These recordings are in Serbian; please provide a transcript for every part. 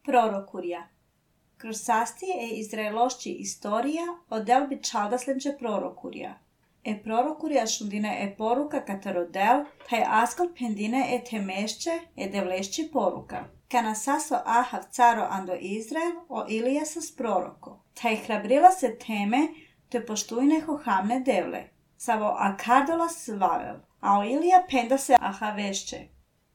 Prorokurja. Kroz sasti e izraelošći istorija odel bi čaldaslenče prorokurja. Prorokurja šundine poruka katarodel, taj askal pendine temešće devlešći poruka. Kana saso Ahav caro ando Izrael o Ilija sas proroko. Taj hrabrila se teme te poštujneho hamne devle. Savo akardola svavel, a o Ilija penda se Ahavešće.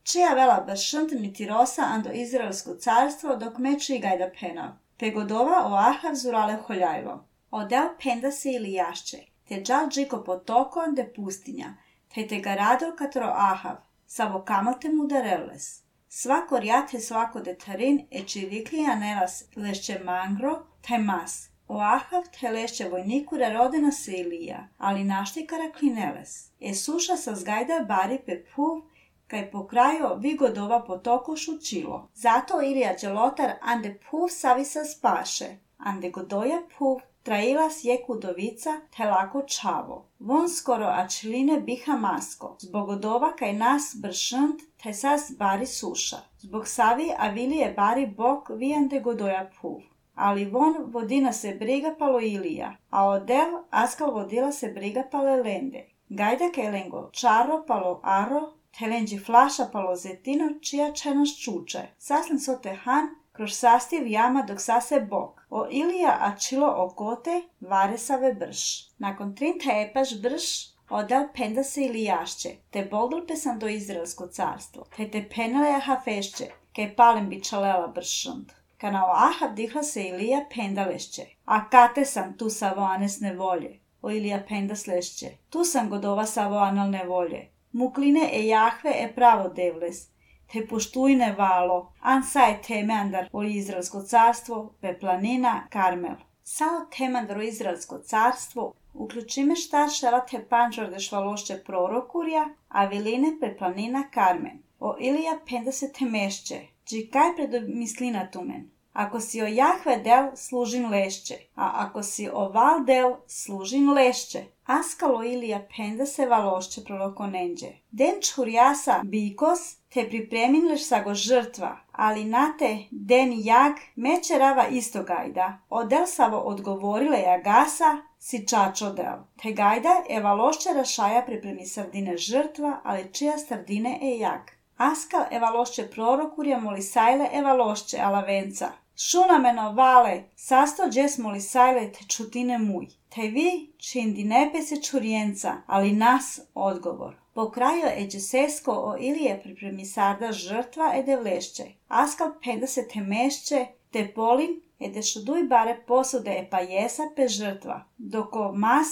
Čija vela bašnt niti rosa ando Izraelsko carstvo dok meči gajda penav. Pegodova o Ahav zurale holjajlo. Odel penda se Ilijašće, te džal džiko potoko de pustinja, te ga rado katro Ahav, savo kamote mu dareles. Svako rjate svako detarin čiviklija nelas lešće mangro, taj mas. O Ahav te lešće vojnikura rodena se Ilija, ali naštikara klineles. Suša sa zgajda bari pe puv, kaj pokrajo vigodova potokošu čilo. Zato Ilija dželotar ande puv savisa spaše, ande godoja puv, trailas je kudovica te lako čavo. Von skoro ačiline biha masko, zbog odova kaj nas bršnt te sas bari suša. Zbog savi avilije bari bok vijande godoja puv. Ali von vodina se briga palo Ilija, a odel askal vodila se briga pale lende. Gajda kaj lengo čaro palo aro, te lenđi flaša palo zetino čija čenaš čuče. Saslen sote han, kroz sastiv jama dok sase bok. O Ilija ačilo okote, varesave brš. Nakon 30 epaš brš, odel penda se Ilijašće, te boldol pesan do Izraelsko carstvo, te penele Ahafešće, kaj palem bi čalela bršund. Kana o Ahav dihla se Ilija pendalešće, a kate sam tu savo anesne volje. O Ilija pendaslešće, tu sam godova savo analne volje. Mukline Jahve pravo devles, te poštujne valo, ansaj temandar o Izraelsko carstvo, pe planina Karmel. Sao temandar o Izraelsko carstvo, uključime šta šela te panžor de švalošće prorokurja, a viline pe planina Karmen. O Ilija penda se temešće, džikaj predomislina tumen. Ako si o Jahve del, služin lešće, a ako si o val del, služin lešće. Askalo Ilija penda se valošće prorokonenđe. Den čurjasa bikos, te pripreminleš sago žrtva, ali nate den jag meće rava isto gajda. Odel savo odgovorile jagasa, si čačo del. Te gajda valošće rašaja pripremi sardine žrtva, ali čija sardine jag. Askal valošće prorokurja molisajle valošće alavenca. Šunameno vale, sasto džes molisajle te čutine muj. Te vi čindi nepe se čurjenca, ali nas odgovor. Po kraju džesesko o Ilije pripremi sarda žrtva devlešće. Askal penda se temešće, te polin dešuduj bare posude pa jesa pe žrtva. Doko mas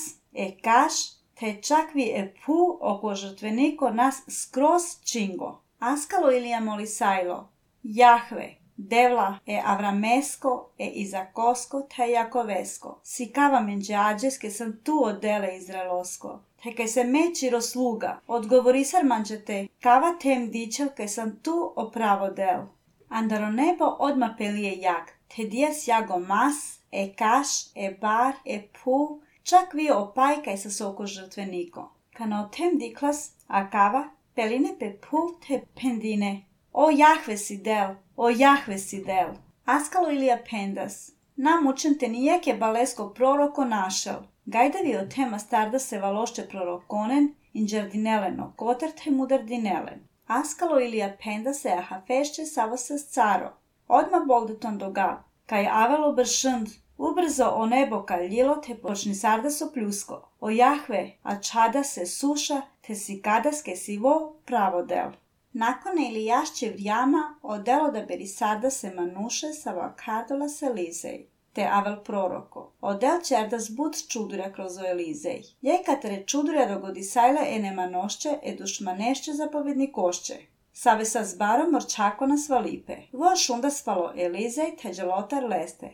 kaš, te čak vi pu oko žrtveniko nas skroz čingo. Askalo Ilija molisajlo, Jahve, devla avramesko, izakosko, te jakovesko. Sikava menđađeske sam tu odele izraelosko. Te kaj se meči rosluga, odgovorisar manđete, kava tem dičel kaj sam tu opravo del. Andaro nebo odma pelije jag, te dijas jago mas, kaš, bar, pu, čak vi opaj kaj sa soko žrtveniko. Kana o tem diklas, a kava, peline pe puv te pendine. O Jahve si del, o Jahve si del. Askalo Ilija pendas. Nam učen te nijeke balesko proroko našel. Gajdavi o tema starda se valošće prorokonen, inđardineleno koter te mudardinelen. Askalo Ilija penda se Ahafešće savo sas caro. Odma boldeton dogav. Kaj avelo bršnd, ubrzo o nebo kaljilo te počni sarda so pljusko. O Jahve, a čada se suša, te si kadaske sivo pravo del. Nakon Ilijašće vrijama odelo da beri sarda se manuše savo akardola se Elizej, te avel proroko. Odel čerda zbud čudurja kroz o Elizej. Jekatare čudurja dogodi sajle nemanošće dušmanešće zapovednikošće. Save sa zbarom morčako na svalipe. Voš onda spalo Elizej te dželotar leste.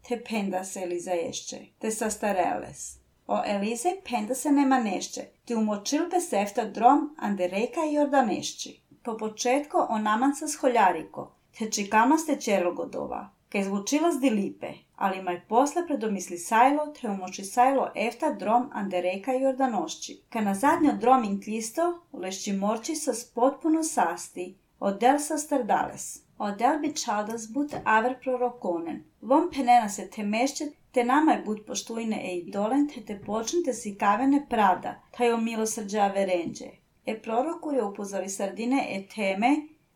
Te penda se Elizeješće, te sastareles. O Elizej penda se nemanešće, te umočilpe sefta drom ande reka i jordanešći. Po početku o naman sa sholjariko, te čikama ste čerlogodova, kaj zvučila z dilipe, ali maj posle predomisli sajlo, te umoči sajlo efta drom ande reka i jordanošći. Ka na zadnjo drom inklisto, lešći morči sa potpuno sasti, od del sa stardales. Odel bi chaldas but aver prorokonen. Vom penena se temesce te namai but poštuine e idolen te počnite si kavene pravda, taj o milosrđe averenđe. E prorokuri upozori sardine e teme,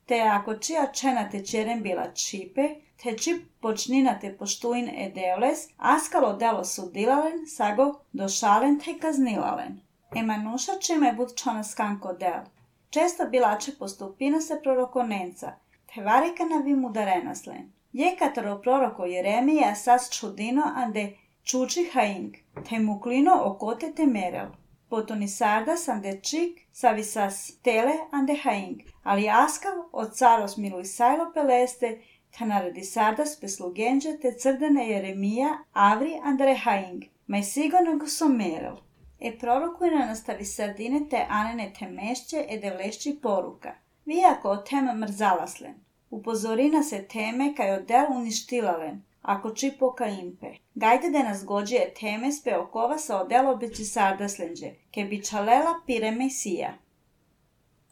te ako čija čena te čeren bila čipe, te čip počnina te poštuin e deoles, askalo delo sudilalen, sago došalen te kaznilalen. E manuša čime but čona skanko del. Često bilače postupina se prorokonenca, te varika na vimu darenaslen. Je kataro proroko Jeremija sas čudino ande čuči haing, te muklino okote te merel. Potoni sardas ande čik savisas tele ande haing, ali askav od caros miluj sajlo peleste, te naredi sardas peslugenđe te crdene Jeremija avri ande haing, maj sigurno go so merel. E prorokujna nastavi sardine te anene te mešće e devlešći poruka. Vi ako o tem mrzalaslen. Upozorina se teme kaj odel uništilalen, ako čipoka impe. Gajde da nas gođe teme spe okova sa odel obeći sardaslenđe, ke bi čalela pire mesija.